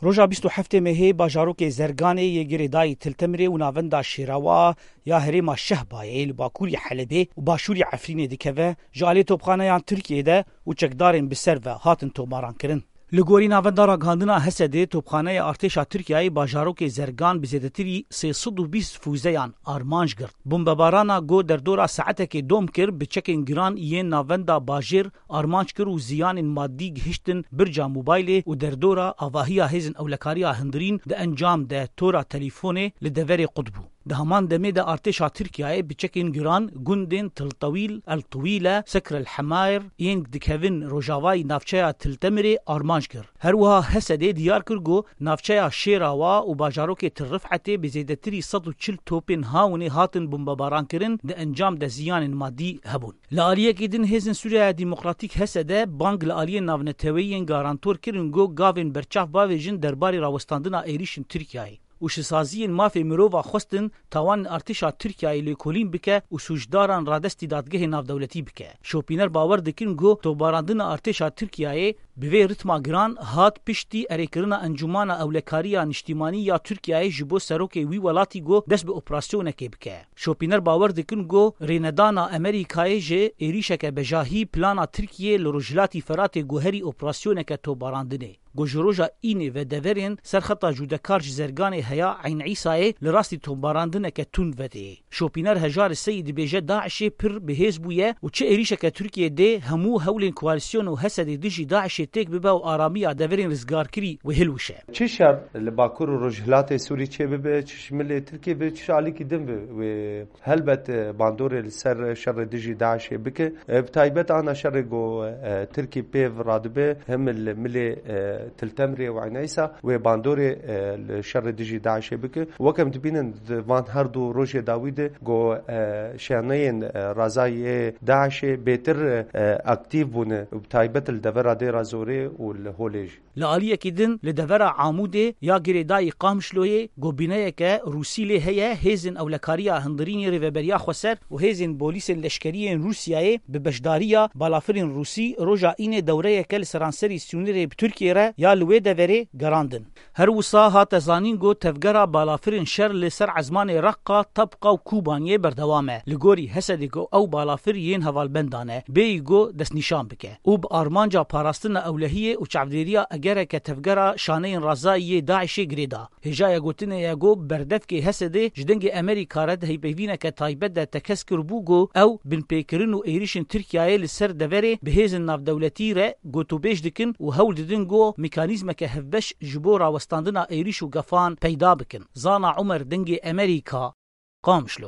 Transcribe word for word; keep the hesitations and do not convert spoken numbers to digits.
Roja bîst û heftê mehê bajarokê Zerganê yê girêdayî Til Temirê û navenda Şêrawa ya herêma Şehbayê li bakurî Helebê û başûrî Efrînê dikeve, ji alî topxaneyan Tirkiyê de û çekdarên bi ser ve hatin tomarankirin. Li gorî navenda ragihandina Hesedê, topxaneya artêşa Tirkiyeyê bajarokê Zergan bi zêdetirî sê sed û bîst fûzeyan armanc girt. Bombebarana ku derdora saetekê dom kir, bi çekên giran yên navenda bajêr armanc kir û ziyanên madî gihiştin birca mobaylê û derdora avahiya hêzên ewlekariya hundirîn di encam de tora telîfonê li deverê qut bû. Di heman demê de artêşa Tirkiyeyê bi çekên giran gundên Til Tewîl, El Tewîle, Sekr El Hemayr yên dikevin rojavayî navçeya Til Temirê armanc kir. Her wiha Hesedê diyar kir ku navçeya Şêrawa û bajarokê Til Rifetê bi zêdetirî sed û çil topên hawinê hatin bombebarankirin, di encam de ziyanên madî hebûn. Li aliyekî din, Hêzên Sûriyeya Demokratîk, H S D, bang li aliyên navneteweyî yên garantor kirin ku gavên berçav bavêjin derbarê rawestandina êrîşên Tirkiyeyê û ji saziyên mafê mirova xwestin tawanên artêşa Tirkiyeyê lêkolîn bike û sûcdaran radestî dadgehê navdewletî bike. Şopîner bawer dikin ku topbarandina artêşa Tirkiyeyê bi vê ritma giran hat piştî erêkirina Encûmana Ewlekariya Niştîmanî ya Tirkiyeyê ji bo serokê wî welatî ku dest bi operasyonekê bike. Şopîner bawer dikin ku rênedana Amerîkayê ji êrîşeke bejahî plana Tirkiyê li Rojhilatî Feratê guherî operasyoneke topbarandinê, ku ji roja Înê ve deverên ser xeta cûdekar ji Zerganê heya Eyn Îsayê li rastî topbarandineke tund vedê. Şopîner Hejarê Seyî dibêje DAIŞê pir bihêz bûye û çi êrîşeke Tirkiyê dê, hemû hewlên koalîsyon û Hesedê dijî DAIŞê têk bibe û aramiya deverên rizgarkirî wê hilwişe. Çi şer li Bakur û Rojhilatê Sûrî çêbibe, çi ji milê Tirkiyê be, çi ji alîkî din be, wê helbet, e, bandorê li ser şerê dijî DAIŞê bike. E, bi taybet ana şerê ku, e, Tirkî pêv radibe, him li milê, e, Til Temrê û Eyn Îsa wê bandorê, e, li şerê dijî DAIŞê bike. Weke em dibînin di van her du rojê dawî de ku, e, şaneyên, e, razayê DAIŞê bêtir, e, aktîf bûne, bi taybet li devera Dêra Zorê û li Holê jî. Li aliyekî din, li devera Amûdê ya girêdayî Qamişloyê, ku bîneyeke Rûsî lê heye, hêzên ewlekariya hundirînê Rêveberiya Xweser û hêzên polîsên leşkerî yên Rûsyayê bi beşdariya balafirên Rûsî roja Înê dewreyeke li seranserî sînorê bi Tirkiyê re ya li wê deverê gerandin. Her wisa hate zanîn ku tevgera balafirên şer li ser ezmanê Reqqa, Tebqa û Kûbaniyê berdewam e. Li gorî Hesedê ku ew balafir yên hevalbendan e, bêyî ku destnîşan bike û bi armanca parastina ewlehiyê û çavdêriya egereke tevgera şaneyên razayî yê DAIŞê girê da. Hêjaya gotinê ye ku berdevkê Hesedê ji dengê Amerîka re di heypeyvîneke taybet de tekez kiribû ku ew binpêkirin û êrîşên Tirkiyeyê li ser deverê bi hêzên navdewletî re gotûbêj dikin û hewl didin ku mekanîzmeke hevbeş ji bo rawestandina êrîş û gefan peyda bikin. Zana Umer, Dengê Amerîka, Qamişlo.